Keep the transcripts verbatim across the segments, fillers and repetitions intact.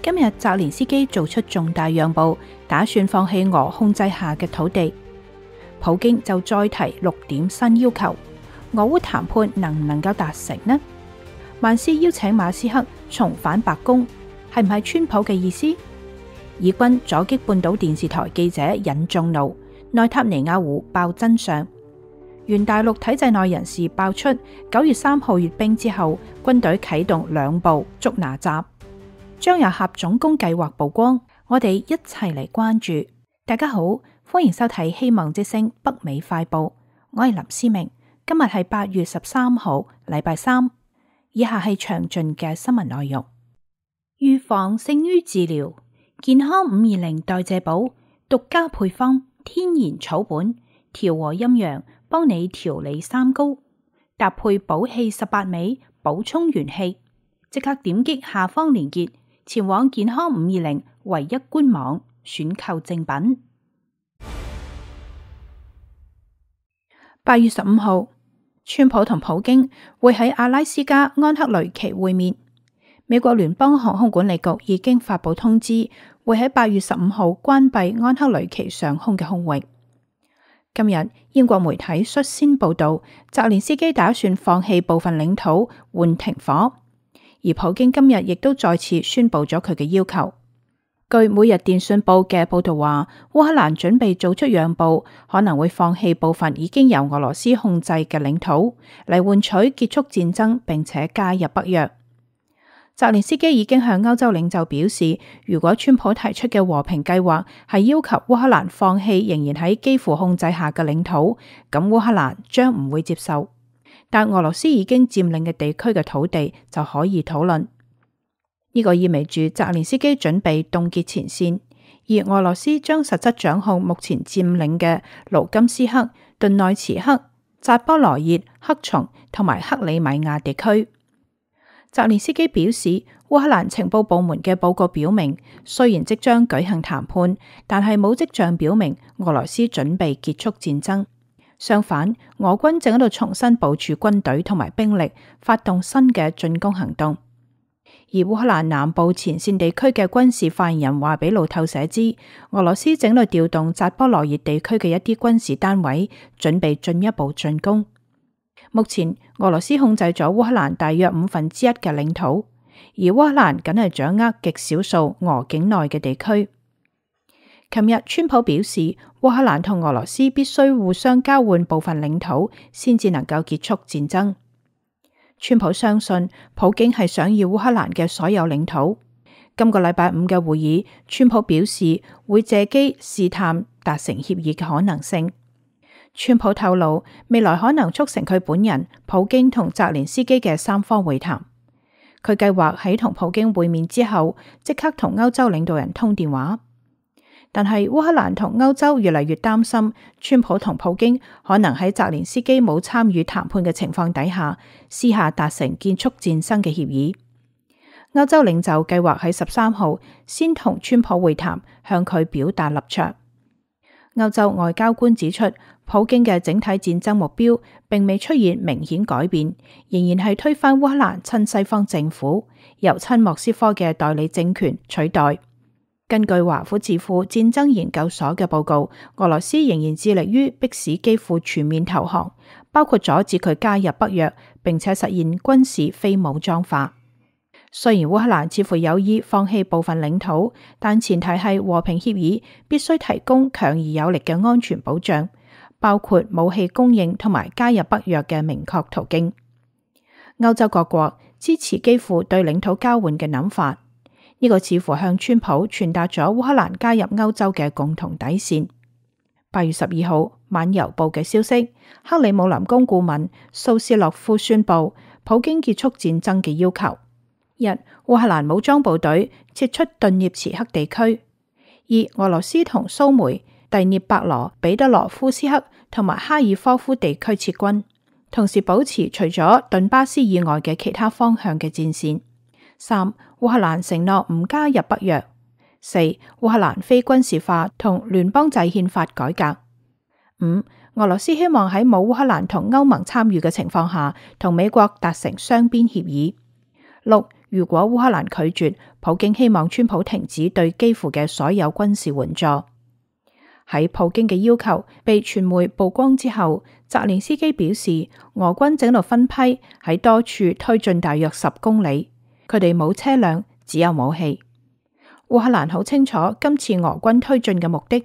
今日澤連斯基做出重大讓步，打算放棄俄控制下嘅土地。普京就再提六點新要求，俄烏談判能唔能夠達成呢？曼斯邀請馬斯克重返白宮，係唔係川普嘅意思？以軍阻擊半島電視台記者引眾怒，內塔尼亞胡爆真相。原大陸體制內人士爆出，九月三號閱兵之後，軍隊啟動兩步捉拿閘，張又俠總攻計劃曝光。我哋一齊嚟關注。大家好，歡迎收睇希望之聲北美快報，我係林思明。今日係八月十三號，禮拜三。以下係詳盡嘅新聞內容。預防勝於治療，健康五二零代謝寶獨家配方，天然草本，調和陰陽，幫你調理三高，搭配補氣十八味，補充元氣。即刻點擊下方連結，前往健康五二零唯一官網選購正品。八月十五號，川普同普京會喺阿拉斯加安克雷奇會面。美國聯邦航空管理局已經發布通知，會喺八月十五號關閉安克雷奇上空嘅空域。今日英國媒體率先報道，澤連斯基打算放棄部分領土換停火，而普京今日亦都再次宣布咗佢嘅要求。據每日電訊報嘅報道話，烏克蘭準備做出讓步，可能會放棄部分已經由俄羅斯控制嘅領土，嚟換取結束戰爭並且加入北約。澤連斯基已經向歐洲領袖表示，如果川普提出嘅和平計劃係要求烏克蘭放棄仍然喺基輔控制下嘅領土，咁烏克蘭將唔會接受。但俄羅斯已經佔領嘅地區嘅土地就可以討論。呢個意味住澤連斯基準備凍結前線，而俄羅斯將實質掌控目前佔領嘅盧甘斯克、頓內茨克、扎波羅熱、克松同埋克里米亞地區。澤連斯基表示，烏克蘭情報部門嘅報告表明，雖然即將舉行談判，但係冇跡象表明俄羅斯準備結束戰爭。相反，俄軍正喺度重新部署軍隊同埋兵力，發動新嘅進攻行動。而烏克蘭南部前線地區嘅軍事發言人話俾路透社知，俄羅斯正喺度調動扎波羅熱地區嘅一啲軍事單位，準備進一步進攻。目前俄羅斯控制咗烏克蘭大約五分之一嘅領土，而烏克蘭僅係掌握極少數俄境內嘅地區。琴日川普表示，烏克蘭同俄羅斯必須互相交換部分領土，先至能夠結束戰爭。川普相信普京係想要烏克蘭嘅所有領土。今個禮拜五嘅會議，川普表示會借機試探達成協議嘅可能性。川普透露，未來可能促成佢本人、普京同澤連斯基嘅三方會談。佢計劃喺同普京會面之後，即刻同歐洲領導人通電話。但係烏克蘭同歐洲越嚟越擔心，川普同普京可能喺澤連斯基冇參與談判嘅情況底下，私下達成結束戰爭嘅協議。歐洲領袖計劃喺十三號先同川普會談，向佢表達立場。歐洲外交官指出，普京嘅整體戰爭目標並未出現明顯改變，仍然係推翻烏克蘭親西方政府，由親莫斯科嘅代理政權取代。根據華府智庫戰爭研究所嘅報告，俄羅斯仍然致力於迫使基輔全面投降，包括阻止佢加入北約，並且實現軍事非武裝化。雖然烏克蘭似乎有意放棄部分領土，但前提係和平協議必須提供強而有力嘅安全保障，包括武器供應同埋加入北約嘅明確途徑。歐洲各國支持基輔對領土交換嘅諗法，呢個似乎向川普傳達咗烏克蘭加入歐洲嘅共同底線。八月十二號晚郵報嘅消息，克里姆林宮顧問蘇斯洛夫宣布普京結束戰爭嘅要求。一、烏克蘭武裝部隊撤出頓涅茨克地區；二、俄羅斯同蘇梅、第涅伯羅、彼得羅夫斯克同埋哈爾科夫地區撤軍，同時保持除咗頓巴斯以外嘅其他方向嘅戰線。三、烏克蘭承諾唔加入北約。四、烏克蘭非軍事化同聯邦制憲法改革。五、俄羅斯希望喺冇烏克蘭同歐盟參與嘅情況下，同美國達成雙邊協議。六、如果烏克蘭拒絕，普京希望川普停止對基輔嘅所有軍事援助。喺普京嘅要求被傳媒曝光之後，澤連斯基表示，俄軍正喺度分批喺多處推進大約十公里，佢哋冇車輛，只有武器。烏克蘭好清楚今次俄軍推進嘅目的。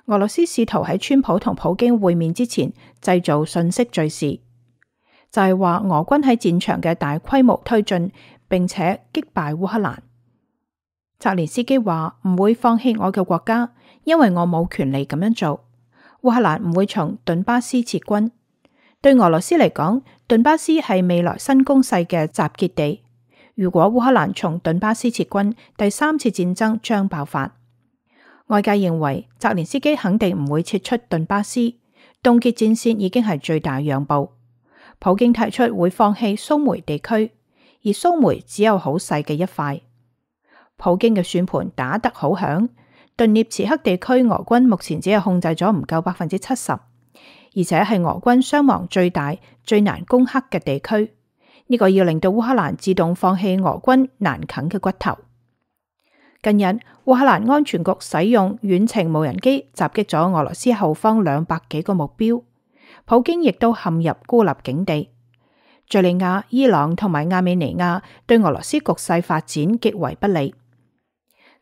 俄羅斯試圖喺川普同普京會面之前製造信息敘事，就係話俄軍喺戰場嘅大規模推進，並且擊敗烏克蘭。澤連斯基話唔會放棄我嘅國家，因為我冇權利咁樣做。烏克蘭唔會從頓巴斯撤軍。對俄羅斯嚟講，頓巴斯係未來新攻勢嘅集結地。如果烏克蘭從頓巴斯撤軍，第三次戰爭將爆發。外界認為澤連斯基肯定唔會撤出頓巴斯，凍結戰線已經係最大讓步。普京提出會放棄蘇梅地區，而蘇梅只有好細嘅一塊。普京嘅算盤打得好響，頓涅茨克地區俄軍目前只係控制咗唔夠百分之七十，而且係俄軍傷亡最大、最難攻克嘅地區。呢個要令到烏克蘭自動放棄俄軍難啃嘅骨頭。近日，烏克蘭安全局使用遠程無人機襲擊咗俄羅斯後方兩百幾個目標，普京亦都陷入孤立境地。敘利亞、伊朗同埋亞美尼亞對俄羅斯局勢發展極為不利。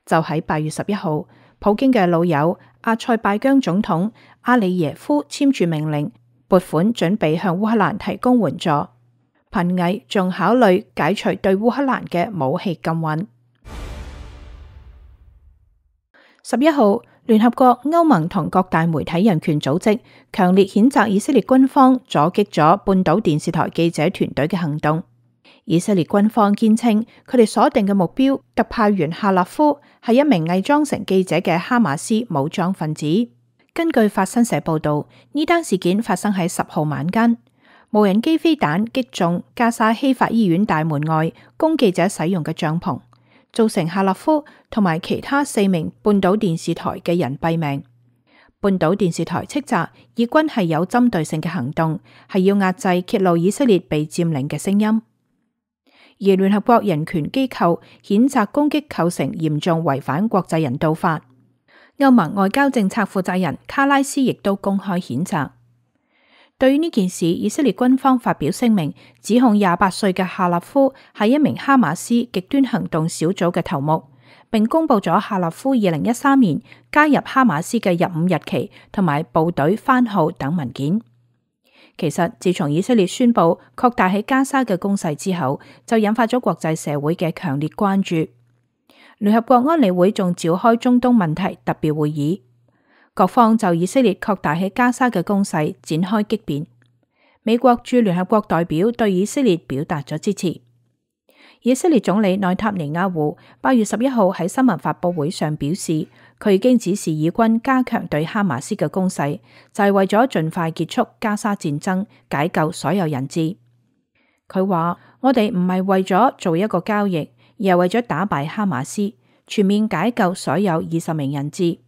就喺八月十一號，普京嘅老友阿塞拜疆總統阿里耶夫簽署命令，撥款準備向烏克蘭提供援助。頻危仲考慮解除對烏克蘭嘅武器禁運。十一號，聯合國、歐盟同各大媒體人權組織強烈譴責以色列軍方阻擊咗半島電視台記者團隊嘅行動。以色列軍方堅稱，佢哋鎖定嘅目標特派員夏立夫係一名偽裝成記者嘅哈馬斯武裝分子。根據法新社報道，呢單事件發生喺十號晚間。無人機飛彈擊中加沙希法醫院大門外供記者使用嘅帳篷，造成夏立夫同埋其他四名半島電視台嘅人斃命。半島電視台斥責以軍係有針對性嘅行動，係要壓制揭露以色列被佔領嘅聲音。而聯合國人權機構譴責攻擊構成嚴重違反國際人道法。歐盟外交政策負責人卡拉斯亦都公開譴責。對於呢件事，以色列軍方發表聲明，指控廿八歲嘅夏立夫係一名哈馬斯極端行動小組嘅頭目，並公布咗夏立夫二零一三年加入哈馬斯嘅入伍日期同埋部隊番號等文件。其實，自從以色列宣布擴大喺加沙嘅攻勢之後，就引發咗國際社會嘅強烈關注。聯合國安理會仲召開中東問題特別會議。各方就以色列擴大喺加沙嘅攻勢展開激辯。美國駐聯合國代表對以色列表達咗支持。以色列總理內塔尼亞胡八月十一號喺新聞發佈會上表示，佢已經指示以軍加強對哈馬斯嘅攻勢，就係為咗盡快結束加沙戰爭，解救所有人質。佢話：我哋唔係為咗做一個交易，而係為咗打敗哈馬斯，全面解救所有二十名人質。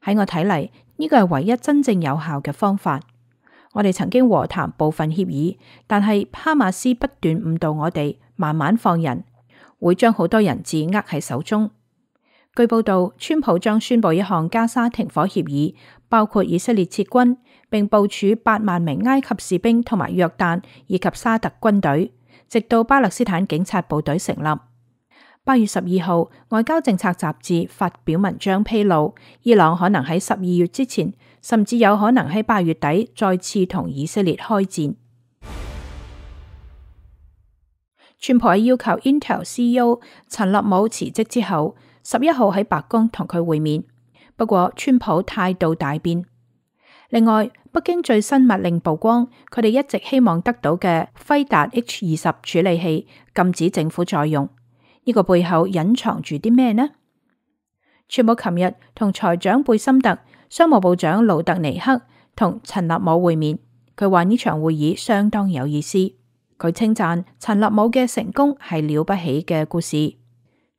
喺我睇嚟，呢個係唯一真正有效嘅方法。我哋曾經和談部分協議，但係哈馬斯不斷誤導我哋，慢慢放人，會將好多人質握喺手中。據報道，川普將宣布一項加沙停火協議，包括以色列撤軍，並部署八萬名埃及士兵同埋約旦以及沙特軍隊，直到巴勒斯坦警察部隊成立。八月十二號，外交政策雜誌發表文章披露，伊朗可能喺十二月之前，甚至有可能喺八月底再次同以色列開戰。川普喺要求 Intel C E O 陳立武辭職之後，十一號喺白宮同佢會面，不過川普態度大變。另外，北京最新密令曝光，佢哋一直希望得到嘅輝達 H 二十處理器禁止政府再用。呢個背後隱藏住啲咩呢？川普琴日同財長貝森特、商務部長魯特尼克同陳立武會面，佢話呢場會議相當有意思。佢稱讚陳立武嘅成功係了不起嘅故事。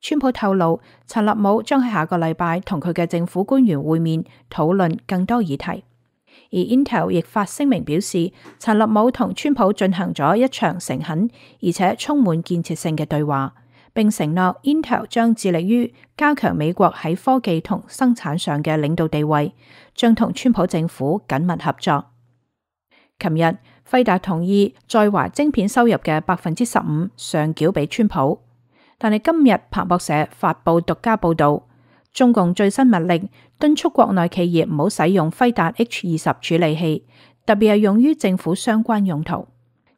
川普透露，陳立武將喺下個禮拜同佢嘅政府官員會面，討論更多議題。而 Intel 亦發聲明表示，陳立武同川普進行咗一場誠懇而且充滿建設性嘅對話，並承諾 Intel 將致力於加強美國喺科技同生產上嘅領導地位，將同川普政府緊密合作。琴日，輝達同意在華晶片收入嘅百分之十五上繳俾川普，但係今日彭博社發布獨家報道，中共最新密令敦促國內企業唔好使用輝達 H 二十處理器，特別係用於政府相關用途。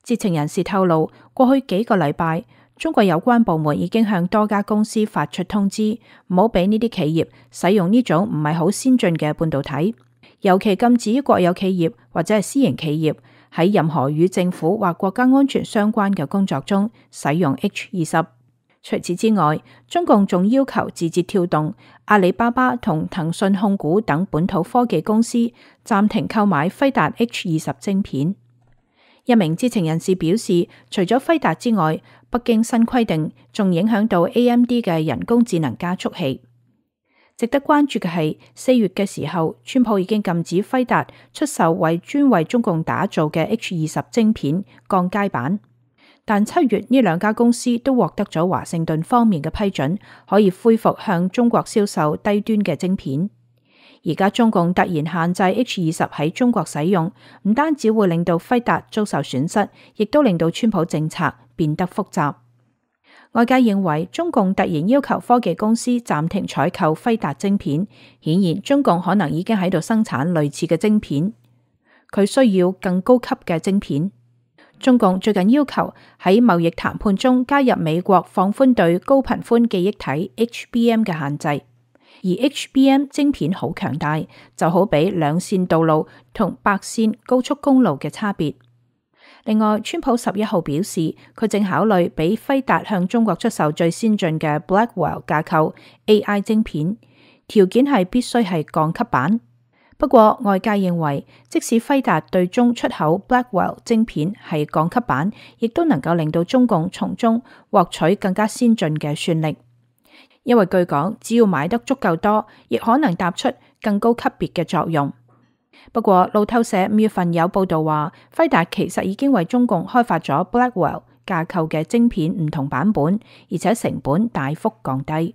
知情人士透露，過去幾個禮拜，中國有關部門已經向多家公司發出通知，唔好俾呢啲企業使用呢種唔係好先進嘅半導體，尤其禁止國有企業或者係私營企業喺任何與政府或國家安全相關嘅工作中使用 H 二十。除此之外，中共仲要求字節跳動、阿里巴巴同騰訊控股等本土科技公司暫停購買輝達 H 二十晶片。一名知情人士表示，除咗輝達之外，北京新規定仲影響到 A M D 嘅人工智能加速器。值得關注嘅係，四月嘅時候，川普已經禁止輝達出售為專為中共打造嘅 H 二十晶片鋼階板。但七月呢兩家公司都獲得咗華盛頓方面嘅批准，可以恢復向中國銷售低端嘅晶片。而家中共突然限制 H 二十喺中國使用，唔單止會令到輝達遭受損失，亦都令到川普政策變得複雜。外界認為中共突然要求科技公司暫停採購輝達晶片，顯然中共可能已經喺度生產類似嘅晶片，佢需要更高級嘅晶片。中共最近要求喺貿易談判中加入美國放寬對高頻寬記憶體 H B M 嘅限制，而 H B M 晶片好強大，就好比兩線道路同八線高速公路嘅差別。另外，川普十一號表示，佢正考慮俾輝達向中國出售最先進嘅 Blackwell 架構 A I 晶片，條件係必須係鋼級版。不過，外界認為，即使輝達對中出口 Blackwell 晶片係鋼級版，亦都能夠令到中共從中獲取更加先進嘅算力。因為據講，只要買得足夠多，亦可能搭出更高級別嘅作用。不過，路透社五月份有報道話，輝達其實已經為中共開發咗 Blackwell 架構嘅晶片唔同版本，而且成本大幅降低。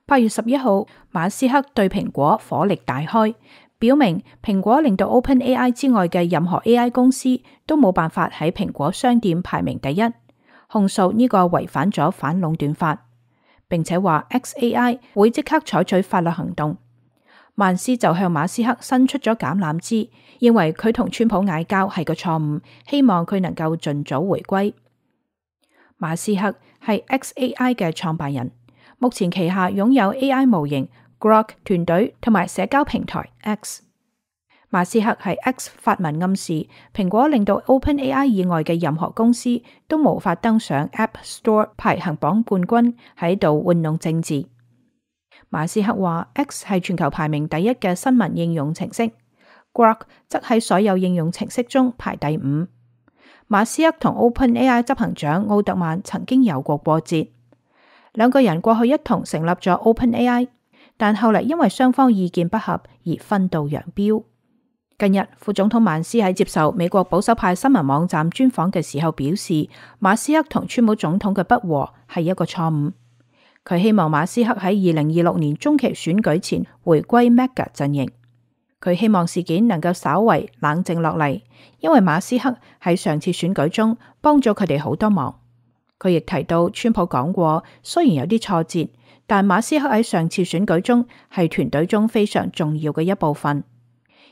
八月十一號，馬斯克對蘋果火力大開，表明蘋果令到 OpenAI 之外嘅任何 A I 公司都冇辦法喺蘋果商店排名第一，控訴呢個違反咗反壟斷法，並且話 X A I 會即刻採取法律行動。萬斯就向馬斯克伸出咗橄欖枝，認為佢同川普嗌交係個錯誤，希望佢能夠盡早回歸。馬斯克係 X A I 嘅創辦人。目前旗下擁有 A I 模型 Grok 團隊同埋社交平台 X。馬斯克喺 X 發文暗示，蘋果令到 OpenAI 以外嘅任何公司都無法登上 App Store 排行榜冠軍，喺度玩弄政治。馬斯克話 X 係全球排名第一嘅新聞應用程式 ，Grok 則喺所有應用程式中排第五。馬斯克同 OpenAI 執行長奧特曼曾經有過過節。兩個人過去一同成立咗 OpenAI， 但後嚟因為雙方意見不合而分道揚鑣。近日，副總統曼斯喺接受美國保守派新聞網站專訪嘅時候表示，馬斯克同川普總統嘅不和係一個錯誤。佢希望馬斯克喺二零二六年中期選舉前回歸 Mega 陣營。佢希望事件能夠稍為冷靜落嚟，因為馬斯克喺上次選舉中幫咗佢哋好多忙。佢亦提到，川普講過，雖然有啲挫折，但馬斯克喺上次選舉中係團隊中非常重要嘅一部分。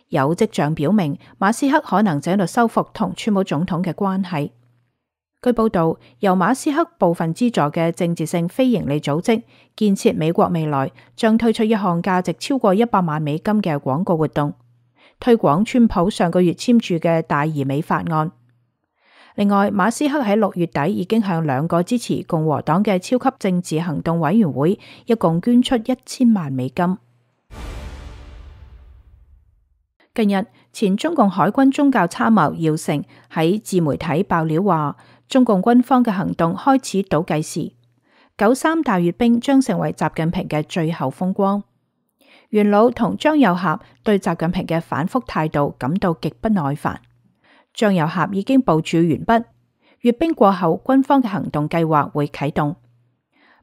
有跡象表明，馬斯克可能正喺度修復同川普總統嘅關係。據報道，由馬斯克部分資助嘅政治性非營利組織建設美國未來將推出一項價值超過一百萬美金嘅廣告活動，推廣川普上個月簽署嘅大而美法案。另外，馬斯克喺六月底已經向兩個支持共和黨嘅超級政治行動委員會一共捐出一千萬美金。近日，前中共海軍宗教參謀姚成喺自媒體爆料話，中共軍方嘅行動開始倒計時，九三大閱兵將成為習近平嘅最後風光。元老同張又俠對習近平嘅反覆態度感到極不耐煩。張又俠已經部署完畢，閱兵過後，軍方嘅行動計劃會啟動。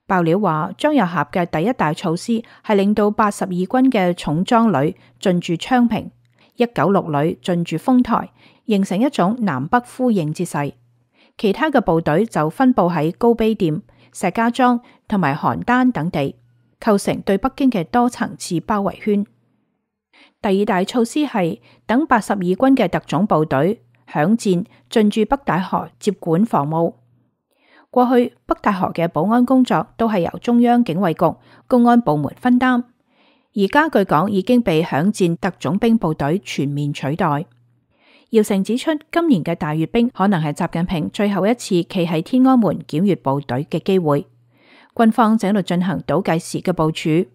爆料話，張又俠嘅第一大措施係令到八十二軍嘅重裝旅進駐昌平，一九六旅進駐豐台，形成一種南北呼應之勢。其他嘅部隊就分佈喺高碑店、石家莊同埋邯鄲等地，構成對北京嘅多層次包圍圈。第二大措施係等八十二軍嘅特種部隊響戰進駐北戴河接管防務。過去北戴河嘅保安工作都係由中央警衛局公安部門分擔，而家據講已經被響戰特種兵部隊全面取代。姚成指出，今年嘅大閱兵可能係習近平最後一次企喺天安門檢閱部隊嘅機會。軍方正喺度進行倒計時嘅部署。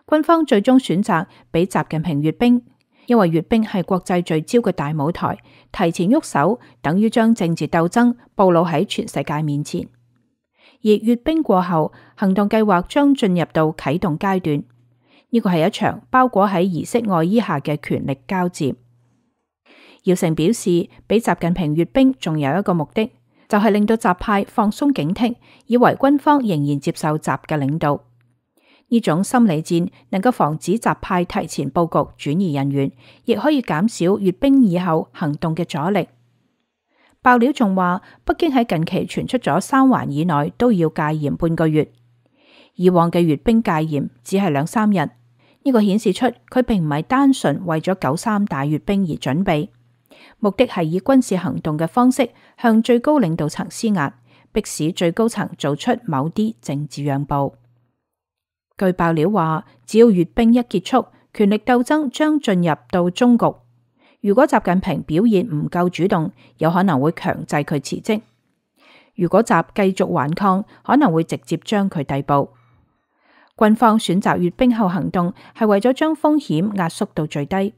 軍方最終選擇俾習近平閱兵，因為閱兵係國際聚焦嘅大舞台，提前喐手等於將政治鬥爭暴露喺全世界面前。而閱兵過後，行動計劃將進入到啟動階段，呢個係一場包裹喺儀式外衣下嘅權力交接。姚成表示，俾習近平閱兵仲有一個目的，就係、是、令到習派放鬆警惕，以為軍方仍然接受習嘅領導。呢種心理戰能夠防止習派提前佈局轉移人員，亦可以減少閱兵以後行動嘅阻力。爆料仲話，北京喺近期傳出咗三環以內都要戒嚴半個月，以往嘅閱兵戒嚴只係兩三日，呢、這個顯示出佢並唔係單純為咗九三大閱兵而準備，目的係以軍事行動嘅方式向最高領導層施壓，迫使最高層做出某啲政治讓步。據爆料話，只要閱兵一結束，權力鬥爭將進入到終局。如果習近平表現唔夠主動，有可能會強制佢辭職；如果習繼續頑抗，可能會直接將佢逮捕。軍方選擇閱兵後行動，係為咗將風險壓縮到最低。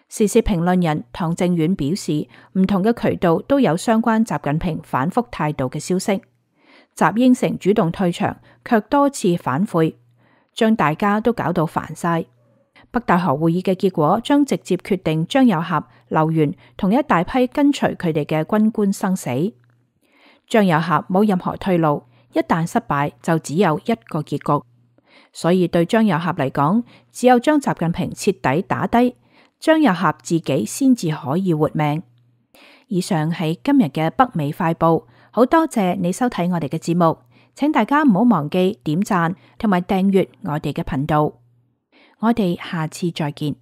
時事評論人唐正遠表示，唔同嘅渠道都有相關習近平反覆態度嘅消息。習應承主動退場，卻多次反悔，將大家都搞到煩晒。北戴河會議嘅結果將直接決定張又俠、劉源同一大批跟隨佢哋嘅軍官生死。張又俠冇任何退路，一旦失敗就只有一個結局。所以對張又俠嚟講，只有將習近平徹底打低，張又俠自己先至可以活命。以上係今日嘅北美快報，好多謝你收睇我哋嘅節目，請大家唔好忘記點讚同埋訂閱我哋嘅頻道。我哋下次再見。